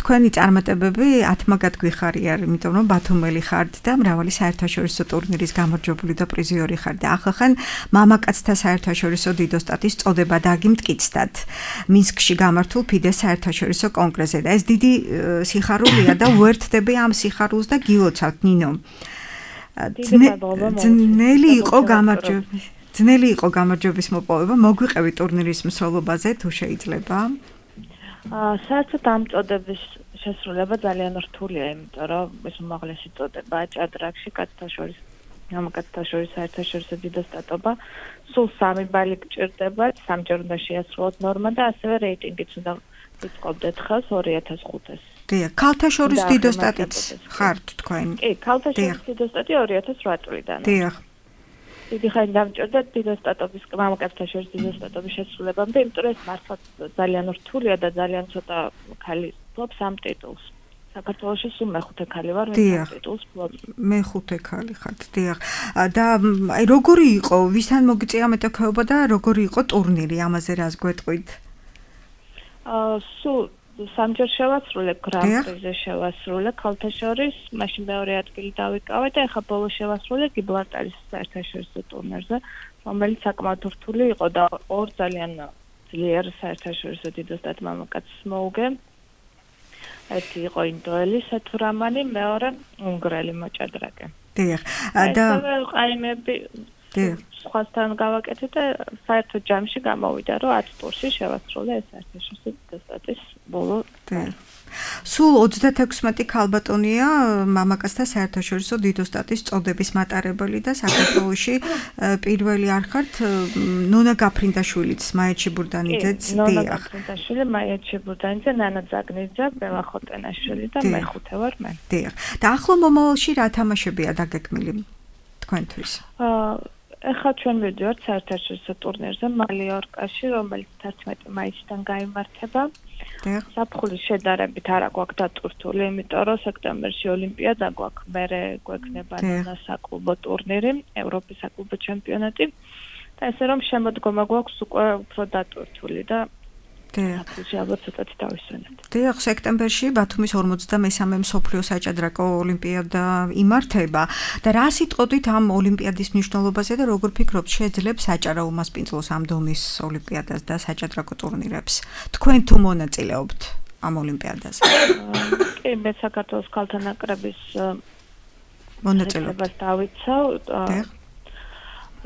თქვენი წარმატებები ათმაგად გვიხარია, იმიტომ რომ ბათუმელი ხართ და მრავალი საერთაშორისო ტურნირის გამარჯვებული და პრიზიორი ხართ და ახლა მამაკაცთა საერთაშორისო დიდოსტატის წოდება დაგიმტკიცდათ. მინსკში გამართულ ფიდეს საერთაშორისო კონგრესზე და ეს დიდი სიხარულია და უერთდები ამ სიხარულს და გილოცავთ ნინო. ძნელი იყო გამარჯვება. ძნელი იყო გამარჯვების მოპოვება, მოგვიყევი ტურნირის მსვლელობაზე თუ შეიძლება? საერთოდ ამ წოდების შესრულება ძალიან რთულია, იმიტომ რომ ეს უმაღლესი წოდება ჭადრაკში მამაკაცთა შორის საერთაშორისო დიდოსტატობა, სულ 3 ბალი გჭირდება, 3ჯერ უნდა შეასრულოთ ნორმა და ასევე რეიტინგიც უნდა ვიწყობდეთ ხელს 2005-ს. დიახ, ქალთა შორის დიდოსტატიც ხართ თქვენ? კი, ქალთა შორის დიდოსტატი 2008 წლიდან. დიახ. დიდი ხანი დამჭირდა დიდოსტატობის მამაკაცთა შორის დიდოსტატობის შესრულებამდე, იმიტომ რომ ეს მართლაც ძალიან რთულია და ძალიან ცოტა ქალი ფლობს ამ ტიტულს. საქართველოში სულ მეხუთე ქალი ვარ, მე ამ ტიტულს ფლობს. მეხუთე ქალი ხართ, დიახ. და აი როგორი იყო, ვისთან მოგიწია მეტოქეობა და როგორი იყო ტურნირი, ამაზე რას გვეტყვით? სულ 3ჯერ შევასრულე გრან-პრიზე შევასრულე ქალთა შორის, მაშინ მეორე ადგილი დავიკავე და ახლა ბოლოს შევასრულე გიბრალტარის საერთაშორისო ტურნირზე, რომელიც საკმაოდ რთული იყო და ორ ძალიან ძლიერ საერთაშორისო დიდოსტატ მამაკაცს მოუგე. ერთი იყო ინდოელი სეთურამანი, მეორე უნგრელი მოჭადრაკე. დიახ. და ყაიმები სხვასთან გავაკეთე და საერთო ჯამში გამოვიდა, რომ 10 ტურში შევასრულე ეს საერთაშორისო დიდოსტატის ბოლო. სულ 36 ქალბატონია მამაკაცთა საერთაშორისო დიდოსტატის წოდების მატარებელი და საქართველოში პირველი არ ხართ ნონა გაფრინდაშვილიც, მაია ჩიბურდანიძეც, დიახ. ნონა გაფრინდაშვილი, მაია ჩიბურდანიძე, ნანა ზაგნიძე, ბელა ხოტენაშვილი და მეხუთე ვარ მე. დიახ. და ახლო მომავალში რა თამაშებია დაგეგმილი თქვენთვის? ეხლა ჩვენ მივდივართ საერთაშორისო ტურნირზე მალიორკაში, რომელიც 11 მაისიდან გაიმართება. საფხულის შედარებით არა გვაქვს დატვირთული, იმიტომ რომ სექტემბერში ოლიმპიადა გვაქვს, მერე გვექნება საკლუბო ტურნირი, ევროპის საკლუბო ჩემპიონატი და ესე რომ შემოდგომა გვაქვს უკვე უფრო დატვირთული და საფხულში ალბათ ცოტათი დავისვენებთ. დიახ, სექტემბერში ბათუმის 53-მე მსოფლიო საჭადრაკო ოლიმპიადა იმართება და რა სიტყვით ამ ოლიმპიადის მნიშვნელობაზე და როგორ ფიქრობთ შეძლებს საჭარო უმასპინძლოს ამ დონის ოლიმპიადას და საჭადრაკო ტურნირებს? თქვენ თუ მონაწილეობთ ამ ოლიმპიადაზე? კი, მე საქართველოს ქალთა ნაკრების მონაწილეობას დავიცავ.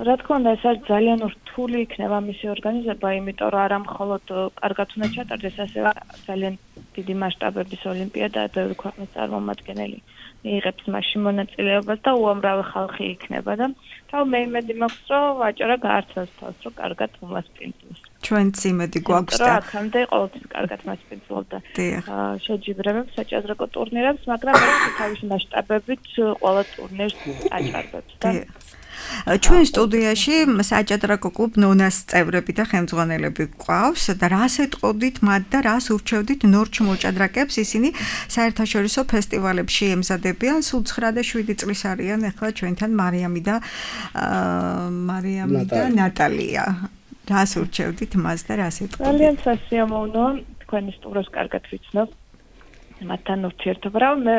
რა თქმა უნდა, ეს არის ძალიან რთული იქნება მისი ორგანიზება, იმიტომ რომ არა მხოლოდ კარგად უნდა ჩატარდეს, ასევე ძალიან დიდი მასშტაბების ოლიმპიადაა, ბევრი ქვეყნის წარმომადგენელი მიიღებს მასში მონაწილეობას და უამრავი ხალხი იქნება და თავ მე იმედი მაქვს, რომ ვაჭრა გაარჩევს თავს, რომ კარგად უმასპინძლოს. ჩვენც იმედი გვაქვს და აქამდე ყოველთვის კარგად მასპინძლობდა. შეჯიბრებებს საჭადრაკო ტურნირებს, მაგრამ ეს თავისი მასშტაბებით ყველა ტურნირს აჭარბებს და ჩვენ სტუდიაში საჭადრაკო კლუბ ნონას წევრები და ხელმძღვანელები გვყავს და რას ეტყოდით მათ და რას ურჩევდით ნორჩ მოჭადრაკეებს, ისინი საერთაშორისო ფესტივალებში ემზადებიან, სულ 9 და 7 წლის არიან ახლა ჩვენთან მარიამი და ნატალია. რას ურჩევდით მას და რას ეტყოდით? ძალიან სასიამოვნოა, თქვენი სტუმრებს კარგად ვიცნობ. მათთან ურთიერთობა მე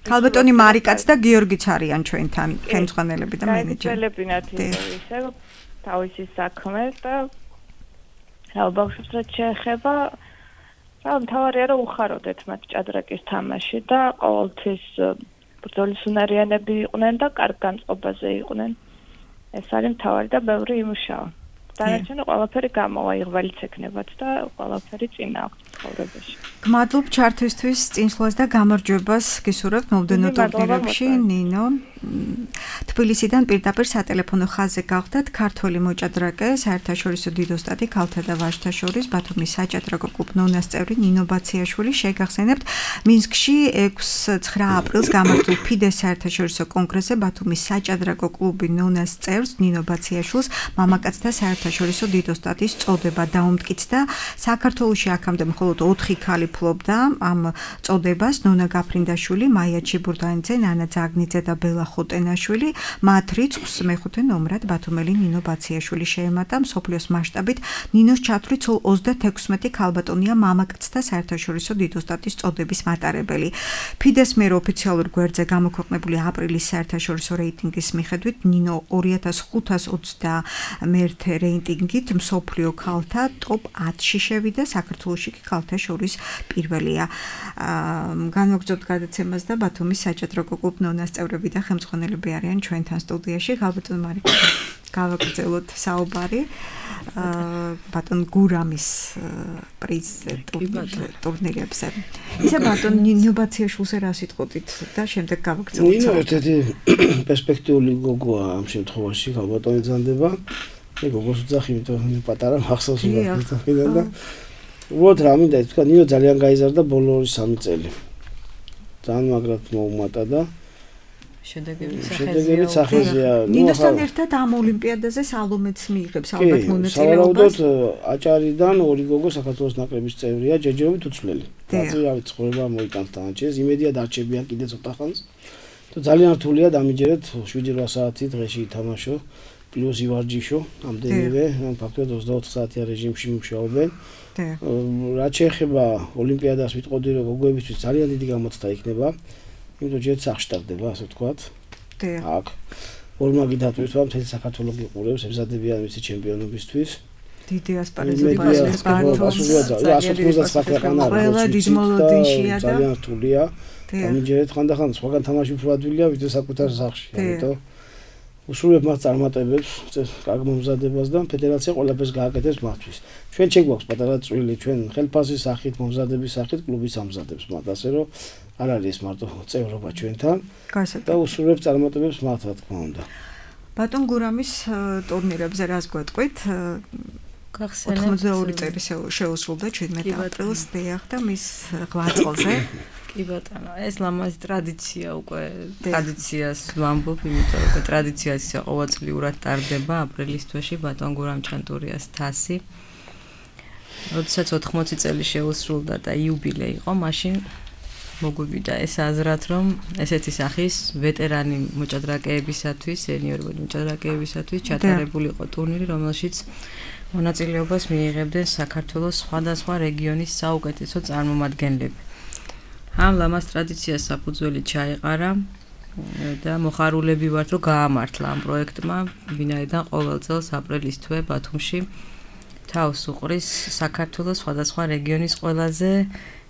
ქალბატონი მარიკაც და გიორგიც არიან ჩვენთან ხელმძღვანელები და მენეჯერები. ისე თავისი საქმე და რა ბავშვებს რაც შეეხება, რა მთავარია რომ უხაროდეთ მათ ჭადრაკის თამაში და ყოველთვის ბრძოლის უნარიანები იყვნენ და კარგ განწყობაზე იყვნენ. ეს არის მთავარი და ბევრი იმუშავა. დანარჩენი ყველაფერი გამოვა, იღვალიც ექნებათ და ყველაფერი წინა აქვს. ცხოვრებაში. გმადლობ ჩართვისთვის, წინსვლას და გამარჯვებას გისურვებთ მომდევნო ტურნირებში, ნინო. თბილისიდან პირდაპირ სატელეფონო ხაზზე გახდათ ქართველი მოჭადრაკე, საერთაშორისო დიდოსტატი ქალთა და ვაჟთა შორის ბათუმის საჭადრაკო კლუბ ნონას წევრი ნინო ბაციაშვილი. შეგახსენებთ, მინსკში 6-9 აპრილს გამართულ ფიდეს საერთაშორისო კონგრესზე ბათუმის საჭადრაკო კლუბი ნონას წევრს ნინო ბაციაშვილს მამაკაცთა საერთაშორისო დიდოსტატის წოდება დაუმტკიცდა. საქართველოში აქამდე მხოლოდ 4 ქალი ფლობდა ამ წოდებას: ნონა გაფრინდაშვილი, მაია ჩიბურდანიძე, ნანა ძაგნიძე და ბელა ხოტენაშვილი. მათ რიცხვს მეხუთე ნომრად ბათუმელი ნინო ბაციაშვილი შეემატა. მსოფლიოს მასშტაბით ნინოს ჩათვლით სულ 36 ქალბატონია მამაკაცთა საერთაშორისო დიდოსტატის წოდების მატარებელი. ფიდეს მიერ ოფიციალურ გვერდზე გამოქვეყნებული აპრილის საერთაშორისო რეიტინგის მიხედვით ნინო 2521 რეიტინგით მსოფლიო ქალთა ტოპ 10-ში შევიდა, საქართველოში კი ქალთა შორის პირველია. განვაგრძობთ გადაცემას და ბათუმის საჭადრაკო კლუბ ნონას წევრები და ხელმძღვანელები არიან ჩვენთან სტუდიაში. ხალბატონ მარიკა, გავაგრძელოთ საუბარი ბატონ გურამის პრიზზე ტურნირებზე. ისე ბატონ ნინო ბაციაშვილს რა სიტყვით და შემდეგ გავაგრძელოთ. ნინო ერთ-ერთი პერსპექტიული გოგოა ამ შემთხვევაში, ხალბატონი ზანდება. გოგოს ვძახი, იმიტომ რომ პატარა მახსოვს ვიყავ და უბრალოდ რა მინდა თქვა, ნინო ძალიან გაიზარდა ბოლო 2-3 წელი. ძალიან მაგრად მოუმატა და შედეგები სახეზეა. ნინოსთან ერთად ამ ოლიმპიადაზე სალომეც მიიღებს ალბათ მონაწილეობას. სავარაუდოდ აჭარიდან 2 გოგო საქართველოს ნაკრების წევრია, ჯერჯერობით უცვლელი. დაძირავით ცხოვრება მოიტანს თანაჩეს, იმედია დარჩებიან კიდე ცოტა ხანს. თუ ძალიან რთულია დამიჯერეთ 7-8 საათი დღეში ითამაშო. პლუს ივარჯიშო, ამდენივე, ფაქტობრივად 24 საათიან რეჟიმში მუშაობენ. რაც შეეხება ოლიმპიადას ვიტყოდი, რომ გოგოებისთვის ძალიან დიდი გამოცდა იქნება, იმიტომ ჯერ სახში ტარდება, ასე ვთქვათ. აქ ორმაგი დატვირთვა მთელი საქართველოს გიყურებს, ემზადებიან მისი ჩემპიონობისთვის. დიდი ასპარეზობა ყველა დიდ მოლოდინშია და ძალიან რთულია. დამიჯერეთ ხანდახან სხვაგან თამაში უფრო ადვილია, ვიდრე საკუთარ სახში, ამიტომ უსურვებ მას წარმატებებს, კარგ მომზადებას და ფედერაცია ყველაფერს გააკეთებს მათთვის. ჩვენ შეგვაქვს პატარა წვლილი, ჩვენ ხელფასის სახით, მომზადების სახით კლუბის ამზადებს მათ, ასე რომ არ არის მარტო წევრობა ჩვენთან და უსურვებ წარმატებებს მათ, რა თქმა უნდა. ბატონ გურამის ტურნირებზე რას გვეტყვით? 82 წელი შეუსრულდა 17 აპრილს დიახ და მის ღვაწლზე. კი ბატონო, ეს ლამაზი ტრადიცია უკვე ტრადიციას ვამბობ, იმიტომ რომ ტრადიცია ისე ყოველწლიურად ტარდება აპრილის თვეში ბატონ გურამ ჩანტურიას თასი. როდესაც 80 წელი შეუსრულდა და იუბილე იყო, მაშინ მოგვივიდა ეს აზრად, რომ ესეთი სახის ვეტერანი მოჭადრაკეებისათვის, სენიორი მოჭადრაკეებისათვის ჩატარებული იყო ტურნირი, რომელშიც მონაწილეობას მიიღებდნენ საქართველოს სხვადასხვა რეგიონის საუკეთესო წარმომადგენლები. ამ ლამაზ ტრადიციას საფუძველი ჩაეყარა და მოხარულები ვართ, რომ გაამართლა ამ პროექტმა, ვინაიდან ყოველ წელს აპრილის თვე ბათუმში თავს უყრის საქართველოს სხვადასხვა რეგიონის ყველაზე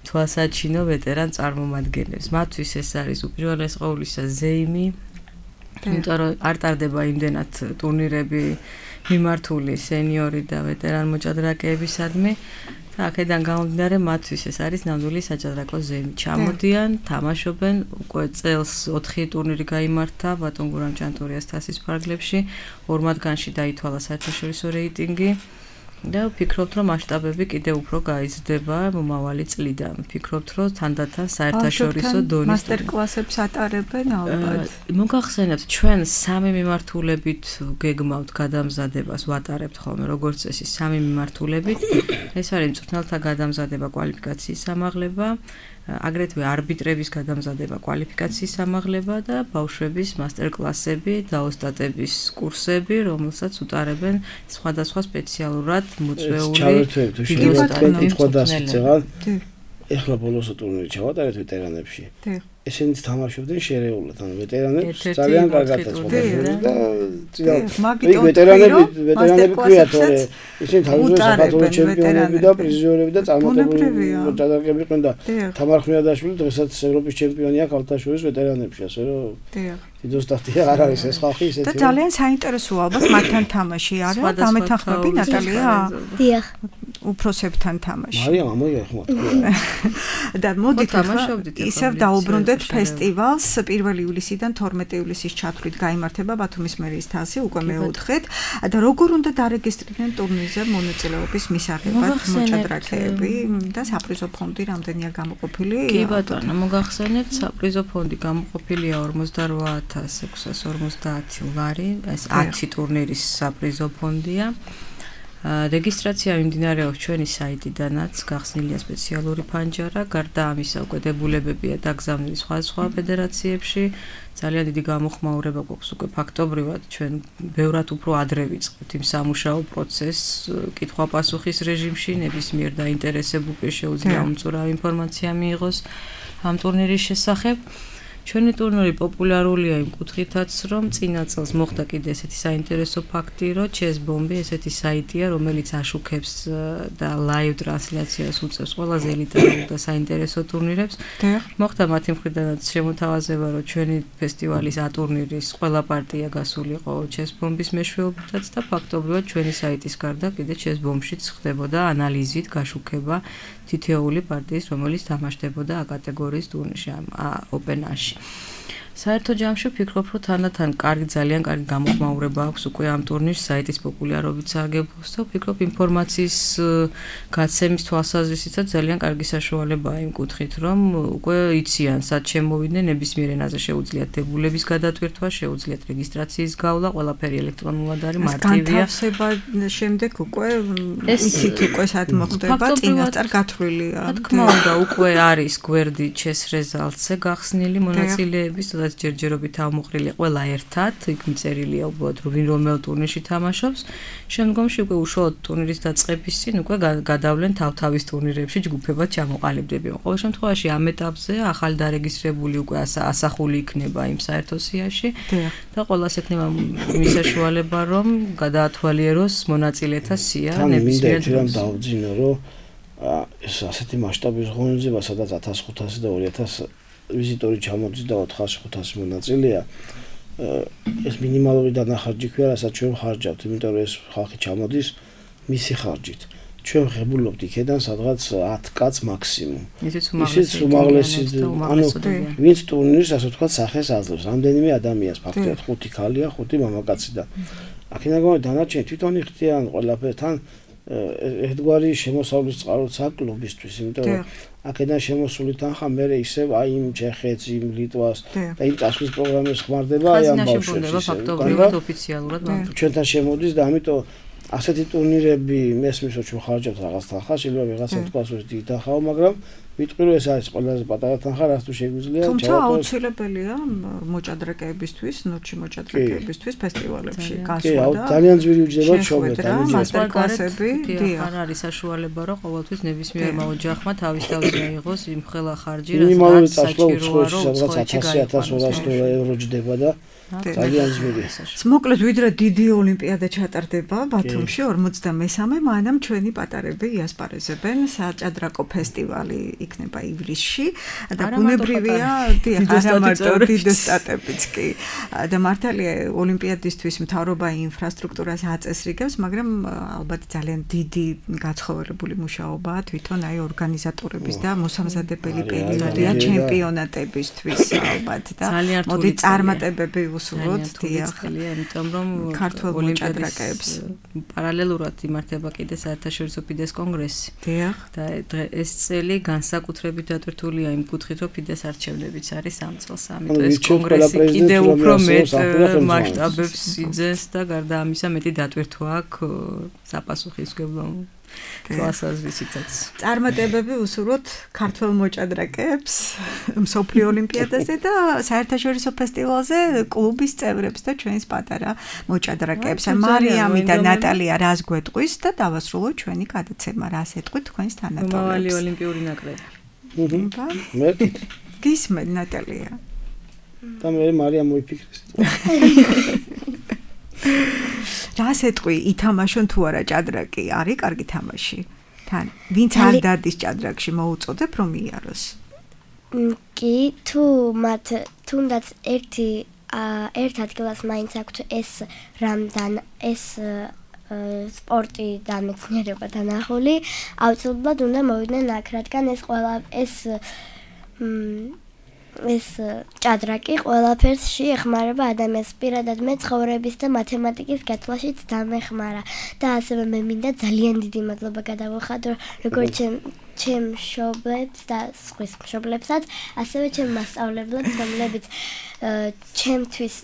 თვალსაჩინო ვეტერან წარმომადგენლებს. მათთვის ეს არის უპირველეს ყოვლისა ზეიმი, იმიტომ რომ არ ტარდება იმდენად ტურნირები მიმართული სენიორი და ვეტერან მოჭადრაკეებისადმი. აქედან გამომდინარე მათთვის ეს არის ნამდვილი საჭადრაკო ზეიმი. ჩამოდიან, თამაშობენ, უკვე წელს 4 ტურნირი გაიმართა ბატონ გურამ ჩანტურიას თასის ფარგლებში, 2 მათგანში დაითვალა საერთაშორისო რეიტინგი და ვფიქრობთ, რომ მასშტაბები კიდევ უფრო გაიზრდება მომავალი წლიდან. ვფიქრობთ, რომ თანდათან საერთაშორისო დონის მასტერკლასებს ატარებენ ალბათ. მოგახსენებთ, ჩვენ 3 მიმართულებით გეგმავთ გადამზადებას, ვატარებთ ხოლმე როგორც წესი 3 მიმართულებით. ეს არის მწვრთნელთა გადამზადება, კვალიფიკაციის ამაღლება, აგრეთვე არბიტრების გადამზადება, კვალიფიკაციის ამაღლება და ბავშვების მასტერკლასები, დაოსტატების კურსები, რომელსაც უტარებენ სხვადასხვა სპეციალურად მოწვეული დიდოსტატები. ეხლა ბოლოს ტურნირი ჩავატარეთ ვეტერანებში. ესენიც თამაშობდნენ შერეულად, ანუ ვეტერანებს ძალიან კარგად ეწყობოდნენ და ვეტერანები ქვიათ, რომ ისინი თავისუფლად საქართველოს ჩემპიონები და პრიზიორები და წარმატებული მოჭადრაკეები იყვნენ და თამარ ხვიადაშვილი დღესაც ევროპის ჩემპიონია ქალთა შორის ვეტერანებში, ასე რომ დიდოსტატია არ არის ეს ხალხი ისეთი. და ძალიან საინტერესოა ალბათ მათთან თამაში არა? გამეთანხმები ნატალია? დიახ. უფროსებთან თამაში. მარიამ ამოიღე. და მოდით ისევ დაუბრუნდეთ ფესტივალს 1 ივლისიდან 12 ივლისის ჩათვლით გაიმართება ბათუმის მერიის თასი უკვე მეოთხედ და როგორ უნდა დარეგისტრირდნენ ტურნირზე მონაწილეობის მისაღებად მოჭადრაკეები და საპრიზო ფონდი რამდენია გამოყოფილი? კი ბატონო, მოგახსენებთ, საპრიზო ფონდი გამოყოფილია 48,650 ლარი, ეს 10 ტურნირის საპრიზო ფონდია. რეგისტრაცია მიმდინარეობს ჩვენი საიტიდანაც, გახსნილია სპეციალური ფანჯარა, გარდა ამისა უკვე დებულებებია დაგზავნილი სხვა ფედერაციებში. ძალიან დიდი გამოხმაურება გვაქვს უკვე ფაქტობრივად ჩვენ ბევრად უფრო ადრე ვიწყებთ იმ სამუშაო პროცესს კითხვა-პასუხის რეჟიმში, ნებისმიერ დაინტერესებულ პირს შეუძლია უმწურავი ინფორმაცია მიიღოს ამ ტურნირის შესახებ. ჩვენი ტურნირი პოპულარულია იმ კუთხითაც, რომ წინა წელს მოხდა კიდე ესეთი საინტერესო ფაქტი, რომ Chess Bomb ესეთი საიტია, რომელიც აშუქებს და ლაივ ტრანსლაციას უწევს ყველაზე ელიტარულ და საინტერესო ტურნირებს. მოხდა მათი მხრიდანაც შემოთავაზება, რომ ჩვენი ფესტივალის ტურნირის ყველა პარტია გასულიყო Chess Bomb-ის მეშვეობითაც და ფაქტობრივად ჩვენი საიტის გარდა კიდე Chess Bomb-შიც ხდებოდა ანალიზით გაშუქება თითოეული პარტიის, რომელიც თამაშდებოდა A კატეგორიის ტურნირში, Open-აში. საერთო ჯამში ვფიქრობ, რომ თანდათან ძალიან კარგი გამოხმაურება აქვს უკვე ამ ტურნირს საიტის პოპულარობით სარგებლობს და ვფიქრობ ინფორმაციის გაცემის თვალსაზრისითაც ძალიან კარგი საშუალებაა იმ კუთხით, რომ უკვე იციან, სად შემოვიდნენ, ნებისმიერ ენაზე შეუძლიათ დებულების გადატვირთვა, შეუძლიათ რეგისტრაციის გავლა, ყველაფერი ელექტრონულად არის, მარტივია. განთავსება შემდეგ უკვე იცით უკვე სად მოხდება, წინასწარ გათვლილია. რა თქმა უნდა, უკვე არის გვერდი Chess Results-ზე გახსნილი მონაწილეების ჯერჯერობით ამოყრილი ყველა ერთად, იქ მიწერილია უბრალოდ ვინ რომელ ტურნირში თამაშობს. შემდგომში უკვე უშუალოდ ტურნირის დაწყების წინ უკვე გადავლენ თავთავის ტურნირებში ჯგუფებად ჩამოყალიბდებიან. ყოველ შემთხვევაში ამ ეტაპზე ახალი დარეგისტრებული უკვე ასახული იქნება იმ საერთო სიაში და ყველას ექნება მისაშუალება, რომ გადაათვალიეროს მონაწილეთა სია ნებისმიერ დროს. მინდა დავძინო, რომ ეს ასეთი მასშტაბის ღონისძიება, სადაც 1500 და 2000 ვიზიტორი ჩამოდის და 400-500 მონაწილეა, ეს მინიმალური დანახარჯი ქვია, რასაც ჩვენ ხარჯავთ, იმიტომ რომ ეს ხალხი ჩამოდის მისი ხარჯით. ჩვენ ღებულობთ იქედან სადღაც 10 კაც მაქსიმუმ. ისიც უმაღლესი, ანუ ვინც ტურნირს, ასე ვთქვათ, სახეს აძლევს, რამდენიმე ადამიანს, ფაქტობრივად 5 ქალია, 5 მამაკაცი და აქედან გამომდინარე დანარჩენი თვითონ იხდიან ყველაფერთან ერთგვარი შემოსავლის წყაროც აქვს კლუბისთვის, იმიტომ რომ აქედან შემოსული თანხა მე ისევ აი იმ ჩეხეთს, იმ ლიტვას და იმ წასვლის პროგრამებს ხმარდება აი ამ ბავშვებს. ფაქტობრივად ოფიციალურად ჩვენთან შემოდის და ამიტომ ასეთი ტურნირები მესმის რომ ჩვენ ხარჯავთ რაღაც თანხა, შეიძლება ვიღაცა თქვას რომ დიდი თანხაო, მაგრამ ვიტყვი რომ ეს არის ყველაზე პატარა თანხა, რაც თუ შეგვიძლია ჩავატაროთ. თუმცა აუცილებელია მოჭადრაკეებისთვის, ნოჩი მოჭადრაკეებისთვის ფესტივალებში გასვლა და ძალიან ძვირი უჯდება ჩვენთან მასტერკლასები, არ არის საშუალება რომ ყოველთვის ნებისმიერ ოჯახმა თავის თავზე აიღოს იმ ხელა ხარჯი, რაც საჭიროა, რომ სადღაც 1000-1200 ევრო ჯდება და ძალიან ძვირია. მოკლედ ვიდრე დიდი ოლიმპიადა ჩატარდება ბათუმში 53-ე, მანამ ჩვენი პატარები იასპარეზებენ საჭადრაკო ფესტივალი იქნება ივლისში და ბუნებრივია არამარტო დიდი სტატებიც კი და მართალია ოლიმპიადისთვის მთავრობა ინფრასტრუქტურას აწესრიგებს, მაგრამ ალბათ ძალიან დიდი გაცხოველებული მუშაობაა თვითონ აი ორგანიზატორების და მოსამზადებელი პერიოდია ჩემპიონატებისთვის ალბათ და მოდი წარმატებები უსურვოთ დიახია, იმიტომ რომ ქართულ მოჭადრაკეებს პარალელურად იმართება კიდე საერთაშორისო ფიდეს კონგრესი. დიახ. და ეს წელი განსაკუთრებით დატვირთულია იმ კუთხით, რომ ფიდეს არჩევნებიც არის ამ წელს, ამიტომ ეს კონგრესი კიდევ უფრო მეტ მასშტაბებს იძენს და გარდა ამისა მეტი დატვირთვა აქვს საპასუხისმგებლო თვალსაზრისითაც. წარმატებები უსურვოთ ქართველ მოჭადრაკეებს მსოფლიო ოლიმპიადაზე და საერთაშორისო ფესტივალზე კლუბის წევრებს და ჩვენს პატარა მოჭადრაკეებს. მარიამი და ნატალია რას გვეტყვის და დავასრულოთ ჩვენი გადაცემა, რას ეტყვით თქვენს თანატოლებს. მომავალი ოლიმპიური ნაკრები. მე გისმენ ნატალია. და მე მარიამ მოიფიქრეს. რას ეტყვი, ითამაშონ თუ არა ჭადრაკი? არის კარგი თამაში. თან ვინც არ დადის ჭადრაკში მოუწოდებ რომ იაროს? კი, თუ მათ თუნდაც ერთ ადგილას მაინც აქვთ ეს სპორტი და მეცნიერება დანახული, აუცილებლად უნდა მოვიდნენ აქ, რადგან ეს ჭადრაკი ყველაფერსში ეხმარება ადამიანს, პირადად მე ცხოვრების და მათემატიკის გათვლაშიც დამეხმარა და ასევე მე მინდა ძალიან დიდი მადლობა გადავუხადო როგორც ჩემ მშობლებს და სხვის მშობლებსაც, ასევე ჩემ მასწავლებლებს, რომლებიც ჩემთვის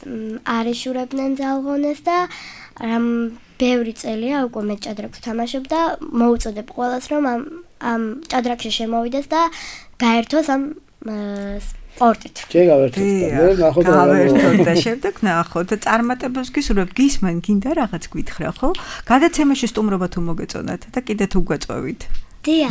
არ იშურებდნენ ძალღონეს და ბევრი წელია უკვე მე ჭადრაკს ვთამაშობ და მოუწოდებ ყველას რომ ამ ჭადრაკში შემოვიდეს და გაერთოს ამ სპორტით. შეგავერთოთ და ნახოთ და შემდეგ ნახოთ წარმატებებს გისურვებ, გისმენ გინდა რაღაც გითხრა, ხო? გადაცემაში სტუმრობა თუ მოგეწონათ და კიდე თუ გვეწვევით. დია.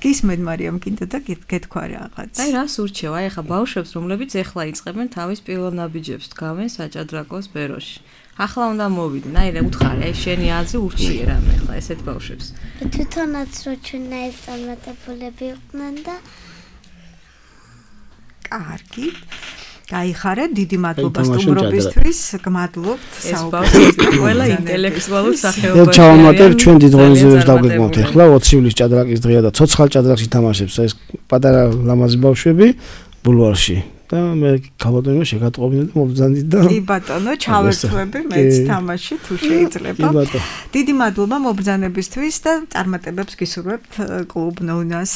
გისმენ მარიამ გინდა და გეთქვა რაღაც. აი რას ურჩევ? აი ახლა ბავშვებს რომლებიც ახლა იწყებენ თავის პირველ ნაბიჯებს დგავენ საჭადრაკო სფეროში. ახლა უნდა მოვიდნენ. აი რა უთხარი, აი შენი აზრი ურჩიე რამე ახლა ესეთ ბავშვებს. თვითონაც რო ჩვენაირ წარმატებულები იყვნენ და კარგი. გაიხარეთ, დიდი მადლობა სტუმრობისთვის. გმადლობთ საუბრობთ ყველა ინტელექტუალურ სახეობაში. ჩავამატებ ჩვენ დიდ ღონისძიებებს დავგეგმავთ ახლა 20 ივლისის ჭადრაკის დღეა და ცოცხალ ჭადრაკში თამაშობს ეს პატარა ლამაზი ბავშვები ბულვარში. და მე ქალბატონო შეგატყობინე და მობრძანდით და კი ბატონო ჩავერთვები მეც თამაში თუ შეიძლება. დიდი მადლობა მობრძანებისთვის და წარმატებებს გისურვებთ კლუბ ნონას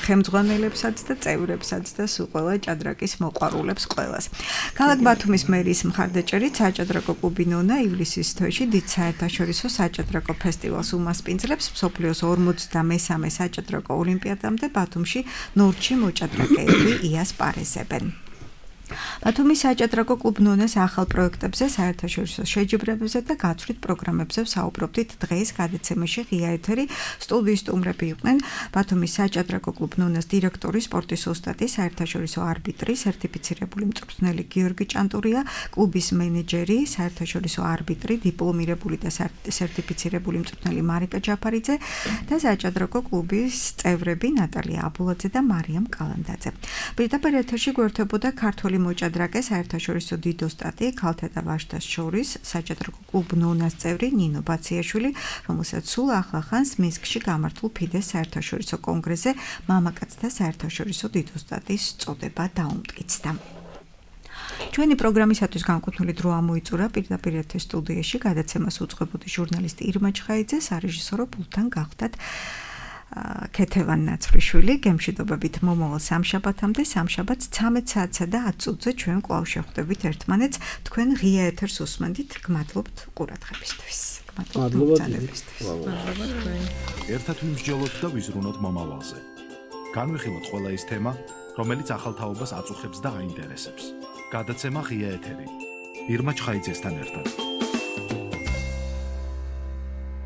ხელმძღვანელებსაც და წევრებსაც და სულ ყველა ჭადრაკის მოყვარულებს ყველას. ქალაქ ბათუმის მერის მხარდაჭერით საჭადრაკო კლუბი ნონა ივლისის თვეში დიდ საერთაშორისო საჭადრაკო ფესტივალს უმასპინძლებს მსოფლიოს 53-მე საჭადრაკო ოლიმპიადამდე ბათუმში ნორჩი მოჭადრაკეები იასპარეზებენ. ბათუმის საჭადრაკო კლუბ ნონას ახალ პროექტებზე, საერთაშორისო შეჯიბრებებზე და გაცვლით პროგრამებზე ვსაუბრობდით დღეს გადაცემაში ღია ეთერი. სტუდიის სტუმრები იყვნენ ბათუმის საჭადრაკო კლუბ ნონას დირექტორი, სპორტის ოსტატი, საერთაშორისო არბიტრი, სერტიფიცირებული მწვრთნელი გიორგი ჭანტურია, კლუბის მენეჯერი, საერთაშორისო არბიტრი, დიპლომირებული და სერტიფიცირებული მწვრთნელი მარიკა ჯაფარიძე და საჭადრაკო კლუბის წევრები ნატალია აბულაძე და მარიამ კალანდაძე. პირდაპირ ეთერში გვერდებოდა ქართული მოჭადრაკე საერთაშორისო დიდ ოსტატი ქალთა და ვაჟთა შორის საჭადრაკო კლუბ ნონას წევრი ნინო ბაციაშვილი, რომელსაც სულ ახლა ხანს მინსკში გამართულ ფიდეს საერთაშორისო კონგრესზე მამაკაცთა საერთაშორისო დიდ ოსტატის წოდება დაუმტკიცდა. ჩვენი პროგრამისათვის განკუთვნილი დრო ამოიწურა პირდაპირ ეთერ სტუდიაში გადაცემას უძღვებოდი ჟურნალისტი ირმა ჩხაიძე, სარეჟისორო პულტთან გახდათ ქეთევან ნაცვლიშვილი. გემშვიდობებით მომავალ სამშაბათამდე, სამშაბათს 13 საათსა და 10 წუთზე ჩვენ კვლავ შევხვდებით ერთმანეთს. თქვენ ღია ეთერს უსმენთ. გმადლობთ ყურადღებისთვის. მადლობა ბრძანებისთვის. ერთად ვიმსჯელოთ და ვიზრუნოთ მომავალზე. განვიხილოთ ყველა ის თემა, რომელიც ახალთაობას აწუხებს და აინტერესებს. გადაცემა ღია ეთერი. ირმა ჩხაიძესთან ერთად.